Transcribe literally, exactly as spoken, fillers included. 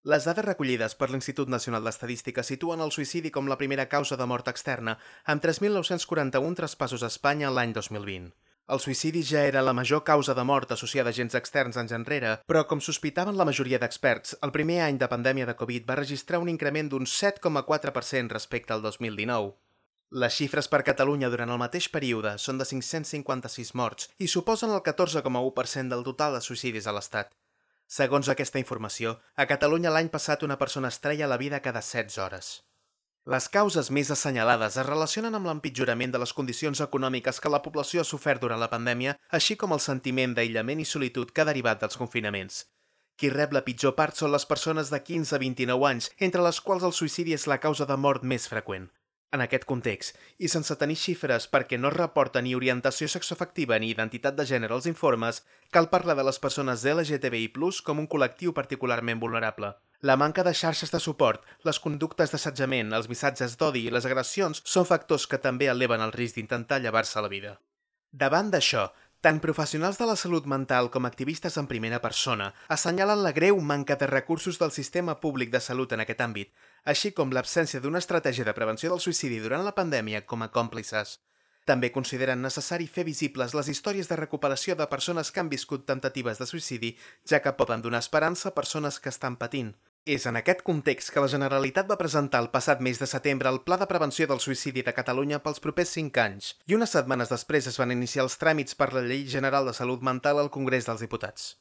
Les dades recollides per l'Institut Nacional d'Estadística situen el suïcidi com la primera causa de mort externa, amb tres mil nou-cents quaranta-un traspassos a Espanya l'any dos mil vint. El suïcidi ja era la major causa de mort associada a agents externs anys enrere, però com sospitaven la majoria d'experts, el primer any de pandèmia de Covid va registrar un increment d'un set coma quatre per cent respecte al dos mil dinou. Les xifres per Catalunya durant el mateix període són de cinc-cents cinquanta-sis morts i suposen el catorze coma u per cent del total de suïcidis a l'Estat. Segons aquesta informació, a Catalunya l'any passat una persona es treia la vida cada setze hores. Les causes més assenyalades es relacionen amb l'empitjorament de les condicions econòmiques que la població ha sofert durant la pandèmia, així com el sentiment d'aïllament i solitud que ha derivat dels confinaments. Qui rep la pitjor part són les persones de quinze a vint-i-nou anys, entre les quals el suïcidi és la causa de mort més freqüent. En aquest context, i sense tenir xifres perquè no es reporta ni orientació sexoafectiva ni identitat de gènere als informes, cal parlar de les persones L G T B I plus, com un col·lectiu particularment vulnerable. La manca de xarxes de suport, les conductes d'assetjament, els missatges d'odi i les agressions són factors que també eleven el risc d'intentar llevar-se la vida. Davant d'això, tant professionals de la salut mental com activistes en primera persona assenyalen la greu manca de recursos del sistema públic de salut en aquest àmbit, així com l'absència d'una estratègia de prevenció del suïcidi durant la pandèmia com a còmplices. També consideren necessari fer visibles les històries de recuperació de persones que han viscut temptatives de suïcidi, ja que poden donar esperança a persones que estan patint. És en aquest context que la Generalitat va presentar el passat mes de setembre el Pla de Prevenció del Suïcidi de Catalunya pels propers cinc anys, i unes setmanes després es van iniciar els tràmits per la Llei General de Salut Mental al Congrés dels Diputats.